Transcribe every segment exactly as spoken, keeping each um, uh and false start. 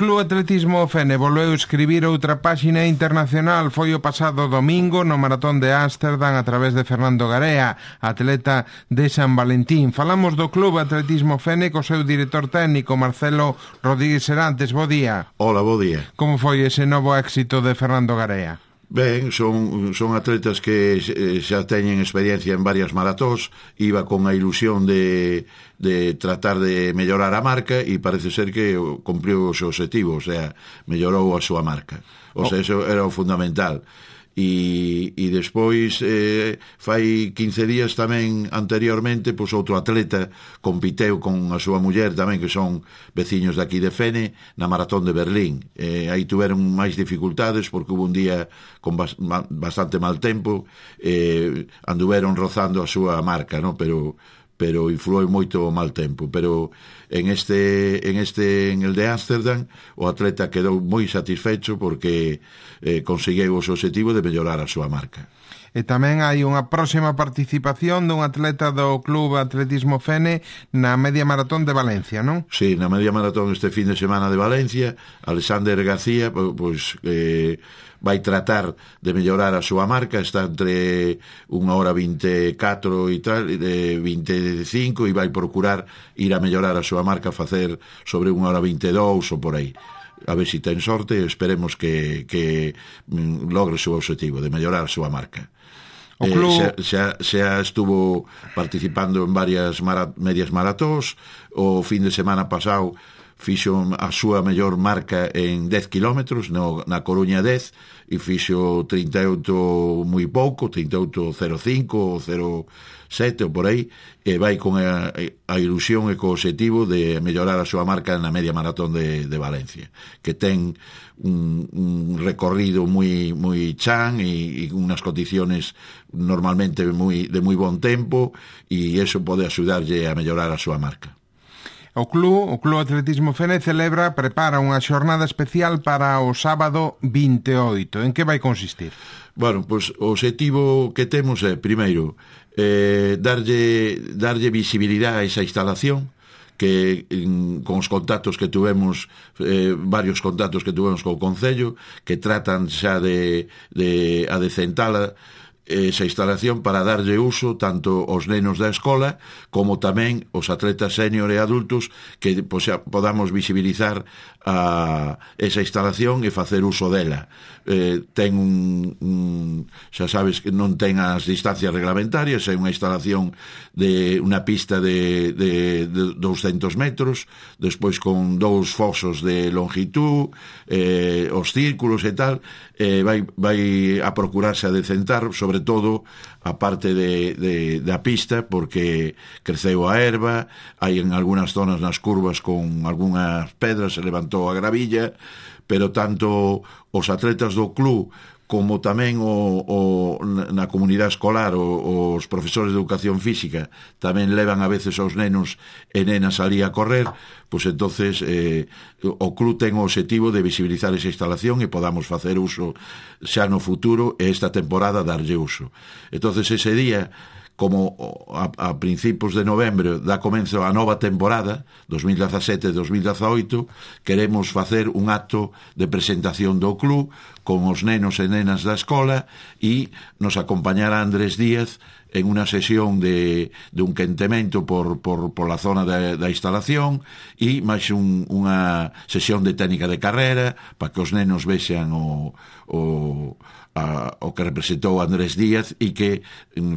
Club Atletismo Fene volveu escribir outra páxina internacional. Foi o pasado domingo no Maratón de Ámsterdam a través de Fernando Garea, atleta de San Valentín. Falamos do Club Atletismo Fene co seu director técnico Marcelo Rodríguez Serantes. Bo día. Hola, bo día. Como foi ese novo éxito de Fernando Garea? Ben, son, son atletas que xa teñen experiencia en varias maratóns, iba con a ilusión de, de tratar de mellorar a marca e parece ser que cumpriu o seu objetivo, o sea, mellorou a súa marca. O sea, eso era o fundamental. E, e despois eh, fai quince días tamén anteriormente pois outro atleta compiteu con a súa muller tamén, que son veciños de aquí de Fene, na Maratón de Berlín. Eh, aí tuveron máis dificultades porque hubo un día con bas, ma, bastante mal tempo, eh, anduveron rozando a súa marca, no? pero pero influou moito o mal tempo, pero en este en este en el de Ámsterdam o atleta quedou moi satisfecho porque eh, conseguiu o seu objetivo de mellorar a súa marca. E tamén hai unha próxima participación dun atleta do Club Atletismo Fene na Media Maratón de Valencia, non? Sí, na Media Maratón este fin de semana de Valencia, Alexander García, pois eh, vai tratar de mellorar a súa marca, está entre unha hora vinte e catro e tal, de vinte e cinco, e vai procurar ir a mellorar a súa marca, facer sobre unha hora vinte e dous ou por aí. A ver se si ten sorte, esperemos que, que logre o seu objetivo de mellorar a súa marca. O club... eh, xa, xa estuvo participando en varias mara, medias maratóns. O fin de semana pasado fixo a súa mellor marca en dez kilómetros no, na Coruña dez, e fixo trinta e oito moi pouco, trinta e oito cero cinco ou cero sete ou por aí, e vai con a, a ilusión e co objetivo de mellorar a súa marca na Media Maratón de, de Valencia, que ten un, un recorrido moi moi chan e, e unhas condiciones normalmente moi, de moi bon tempo, e eso pode axudarlle a mellorar a súa marca. O club, o Club Atletismo Fene celebra, prepara unha xornada especial para o sábado vinte e oito. En que vai consistir? Bueno, pois o objetivo que temos é, primeiro, eh, darlle, darlle visibilidade a esa instalación, que en, con os contactos que tuvemos, eh, varios contactos que tuvemos co Concello, que tratan xa de, de adecentala esa instalación para darlle uso tanto aos nenos da escola como tamén os atletas senior e adultos, que pois, podamos visibilizar a esa instalación e facer uso dela. Eh, ten un, un xa sabes que non ten as distancias reglamentarias, é unha instalación de unha pista de, de, de douscentos metros, despois con dous fosos de longitud, eh, os círculos e tal, eh, vai, vai a procurarse a decentar sobre todo a parte de, de, da pista, porque creceu a erva, hai en algunhas zonas nas curvas con algunhas pedras, se levantou a gravilla, pero tanto os atletas do club como tamén o, o, na comunidade escolar o, os profesores de educación física tamén levan a veces aos nenos e nenas ali a correr, pois entonces eh, o club ten o objetivo de visibilizar esa instalación e podamos facer uso xa no futuro e esta temporada darlle uso. Entonces ese día, como a, a principios de novembro dá comenzo a nova temporada dos mil dezasete dos mil dezaoito, queremos facer un acto de presentación do club con os nenos e nenas da escola, e nos acompañará Andrés Díaz en unha sesión de, de un quentemento por, por, por la zona da, da instalación, e máis un, unha sesión de técnica de carrera para que os nenos vexan o, o, a, o que representou Andrés Díaz, e que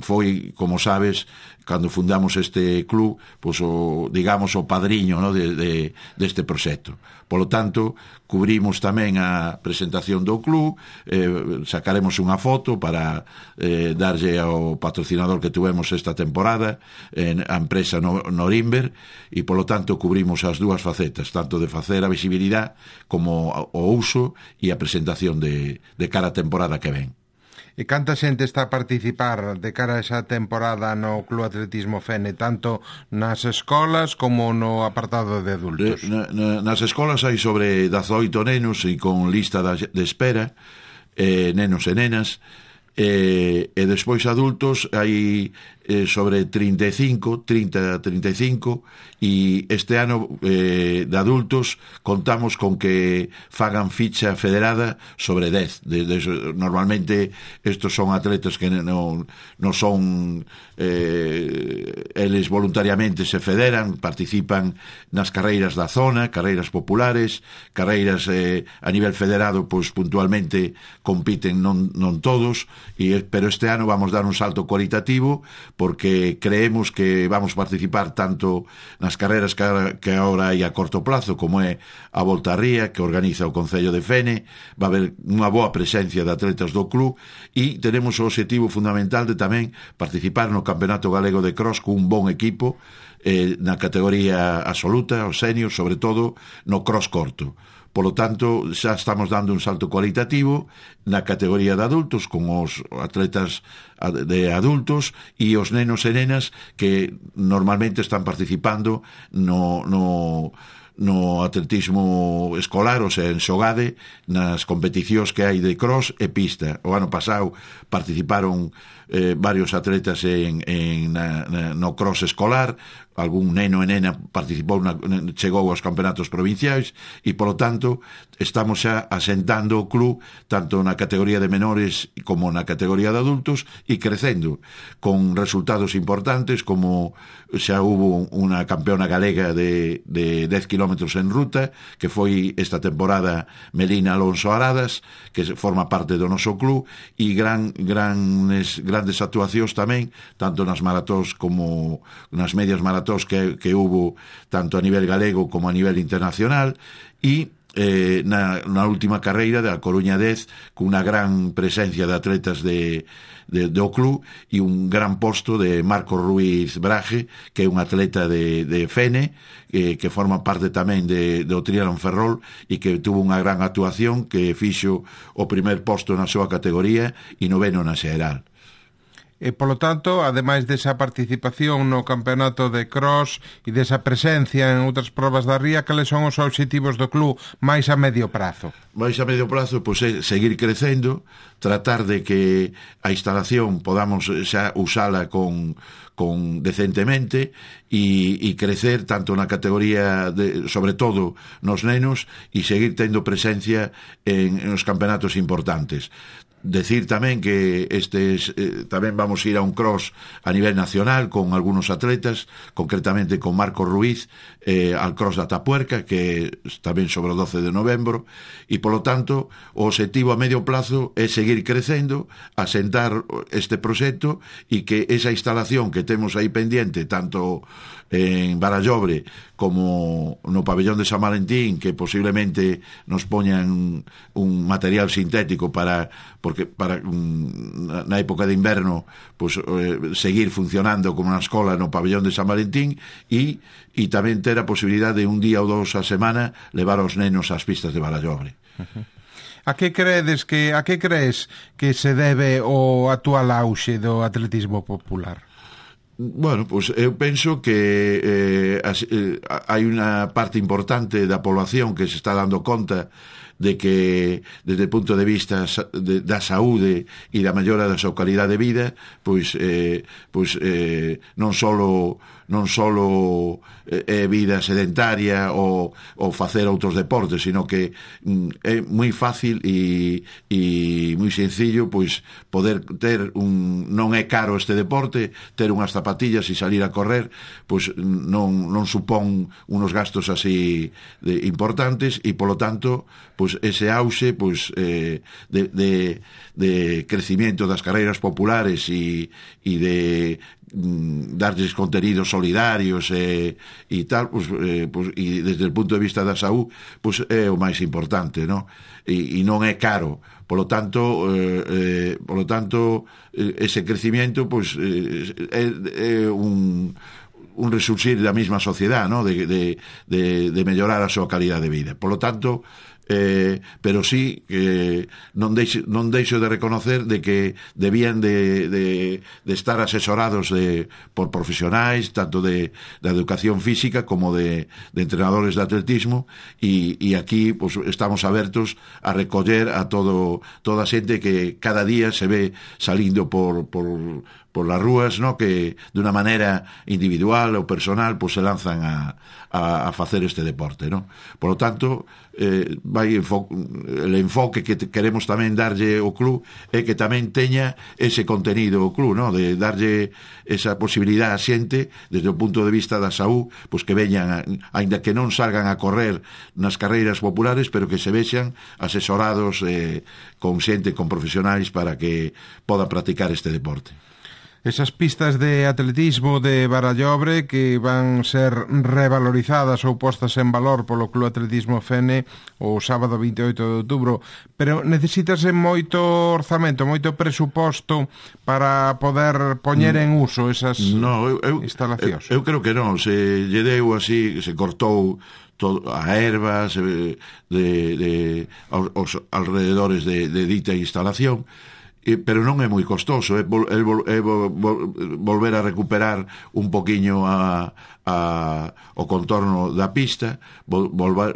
foi, como sabes, cando fundamos este club, pois o, digamos, o padriño, no, de, de, deste proxecto. Polo tanto, cubrimos tamén a presentación do club, eh, sacaremos unha foto para eh, darlle ao patrocinador que tuvemos esta temporada, en a empresa Norimber, e polo tanto cubrimos as dúas facetas, tanto de facer a visibilidade como o uso e a presentación de, de cara a temporada que ven. E canta xente está a participar de cara a esa temporada no Club Atletismo Fene, tanto nas escolas como no apartado de adultos? Na, na, nas escolas hai sobre dezaoito nenos e con lista de espera, eh, nenos e nenas. e, e despois adultos hai eh, sobre trinta e cinco, trinta, trinta e cinco, e este ano eh, de adultos contamos con que fagan ficha federada sobre dez. De, de, normalmente estos son atletas que non, non son eh, eles voluntariamente se federan, participan nas carreiras da zona, carreiras populares, carreiras eh, a nivel federado, pois puntualmente compiten non, non todos, e, pero este ano vamos dar un salto cualitativo porque creemos que vamos participar tanto nas carreras que, que agora hai a corto plazo, como é a Volta a Ría, que organiza o Concello de Fene. Va a haber unha boa presencia de atletas do club, e tenemos o objetivo fundamental de tamén participar no Campeonato Galego de Cross con un bon equipo eh, na categoría absoluta, o senior, sobre todo no cross corto. Polo tanto, xa estamos dando un salto cualitativo na categoría de adultos con os atletas de adultos e os nenos e nenas que normalmente están participando no, no, no atletismo escolar, ou sea, en Xogade, nas competicións que hai de cross e pista. O ano pasado participaron eh, varios atletas en, en, na, na, no cross escolar, algún neno e nena participou na, chegou aos campeonatos provinciais, e polo tanto estamos xa asentando o club tanto na categoría de menores como na categoría de adultos, e crecendo con resultados importantes, como xa hubo unha campeona galega de, de dez kilómetros en ruta, que foi esta temporada Melina Alonso Aradas, que forma parte do noso club, e gran, grandes, grandes actuacións tamén, tanto nas maratóns como nas medias maratóns que, que hubo tanto a nivel galego como a nivel internacional, e eh, na, na última carreira da Coruña dez, cunha gran presencia de atletas de, de, do club, e un gran posto de Marco Ruiz Braje, que é un atleta de, de Fene, eh, que forma parte tamén de, do Triatlón Ferrol, e que tuvo unha gran actuación, que fixo o primer posto na súa categoría e noveno na xeral. E, polo tanto, ademais desa participación no campeonato de cross e desa presencia en outras probas da ría, cales son os obxectivos do club máis a medio prazo? Mais a medio prazo, pois, é seguir crecendo, tratar de que a instalación podamos xa usala con, con decentemente, e, e crecer tanto na categoría, de, sobre todo nos nenos, e seguir tendo presencia en, en os campeonatos importantes. Decir tamén que estes eh, tamén vamos a ir a un cross a nivel nacional con algunos atletas, concretamente con Marco Ruiz eh, al cross da Tapuerca, que tamén sobre o doce de novembro, e polo tanto o objetivo a medio plazo é seguir crecendo, asentar este proxecto, e que esa instalación que temos aí pendiente tanto en Barallobre como no pabellón de San Valentín, que posiblemente nos poñan un material sintético para porque para na época de inverno pues, eh, seguir funcionando como na escola no pabellón de San Valentín, e, e tamén ter a posibilidade de un día ou dous a semana levar os nenos ás pistas de Barallobre. Uh-huh. A que credes que a que crees que se debe o actual auxe do atletismo popular? Bueno, pues eu penso que eh, as, eh, hai unha parte importante da población que se está dando conta de que desde o punto de vista de, da saúde e da mellora da súa calidade de vida, pois eh, pois eh, non solo non solo é vida sedentaria ou, ou facer outros deportes, sino que mm, é moi fácil e, e moi sencillo pois poder ter un, non é caro este deporte, ter unhas zapatillas e salir a correr, pois non, non supón unos gastos así de, importantes, e polo tanto pois ese auxe pois eh, de, de, de crecimiento das carreiras populares e, e de darles contenidos solidarios e, e tal, pues, eh, pues, e desde o punto de vista da saúde pues, é o máis importante, no? E, e non é caro, polo tanto eh, eh, polo tanto eh, ese crecimiento pues, eh, é, é un un resurxir da mesma sociedade, no? de, de, de, de mellorar a súa calidad de vida. Polo tanto, eh, pero sí que non deixo, non deixo de reconocer de que debían de, de, de estar asesorados de, por profesionais tanto de, de educación física como de, de entrenadores de atletismo, e, e aquí pues, estamos abertos a recoller a todo, toda a xente que cada día se ve salindo por, por, por las rúas, ¿no? Que de una manera individual ou personal pues, se lanzan a, a, a facer este deporte, ¿no? Por lo tanto, eh, vai enfo el enfoque que queremos tamén darlle ao club é que tamén teña ese contenido o club, ¿no? De darlle esa posibilidad a xente desde o punto de vista da saúde, pues que veñan, aínda que non salgan a correr nas carreiras populares, pero que se vexan asesorados eh, con xente, con profesionais para que poda practicar este deporte. Esas pistas de atletismo de Barallobre que van ser revalorizadas ou postas en valor polo Club Atletismo Fene o sábado veinte e oito de outubro, pero necesítase moito orzamento, moito presuposto para poder poñer en uso esas no, eu, eu, instalacións. Eu, eu creo que non, se lle deu así, se cortou todo, a erva se, de, de, aos alrededores de, de dita instalación, Eh, pero non é moi costoso, é, vol, é, vol, é vol, vol, volver a recuperar un poquiño a, a, o contorno da pista, vol, volver,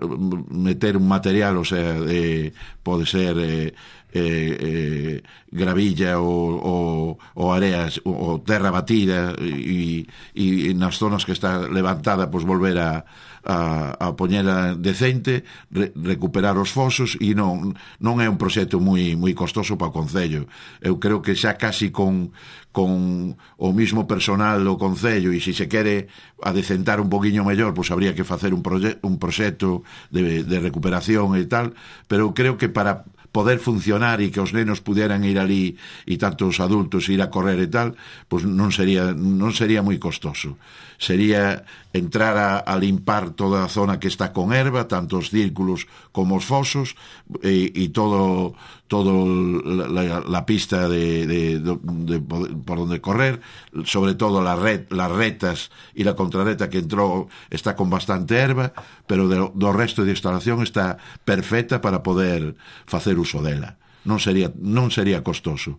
meter un material, o sea, de, pode ser eh, eh, eh, gravilla ou, ou, ou areas ou terra batida e, e nas zonas que está levantada pues volver a a, a poñela decente, re, recuperar os fosos, e non, non é un proxecto moi, moi costoso para o Concello. Eu creo que xa casi con, con o mismo personal do Concello, e se se quere adecentar un poquinho mellor, pois habría que facer un, proxe, un proxecto de, de recuperación e tal, pero creo que para poder funcionar e que os nenos puderan ir ali e tanto os adultos ir a correr e tal, pois non sería non sería moi costoso. Sería entrar a, a limpar toda a zona que está con erva, tanto os círculos como os fosos, e, e todo todo la, la, la pista de, de, de, de, de por donde correr, sobre todo la red, las retas e la contrarreta que entrou está con bastante erva, pero do, do resto de instalación está perfecta para poder facer uso dela. Non sería, non sería costoso.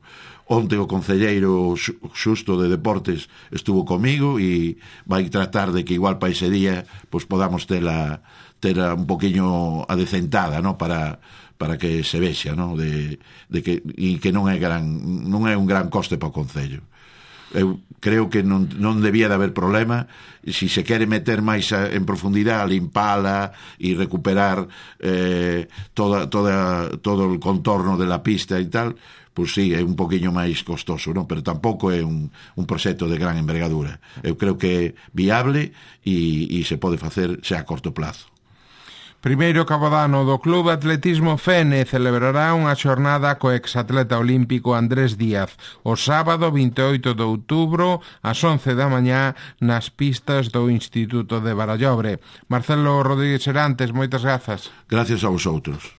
Onte o concelleiro xusto de deportes estuvo comigo e vai tratar de que igual para ese día pues podamos tela, tela un poquinho adecentada, ¿no? para para que se vexa, ¿no? de, de que, e que non é gran non é un gran coste para o concello. Eu creo que non, non debía de haber problema. Si se quere meter máis a, en profundidade, limpala e recuperar eh, toda, toda, todo o contorno de la pista e tal, pois sí, é un poquinho máis costoso, non? Pero tampouco é un, un proxecto de gran envergadura. Eu creo que é viable e, e se pode facer xa a corto plazo. Primeiro cabodano do Club Atletismo Fene celebrará unha xornada co exatleta olímpico Andrés Díaz o sábado veinte e oito de outubro ás once da mañá nas pistas do Instituto de Barallobre. Marcelo Rodríguez Serantes, moitas grazas. Gracias a vosotros.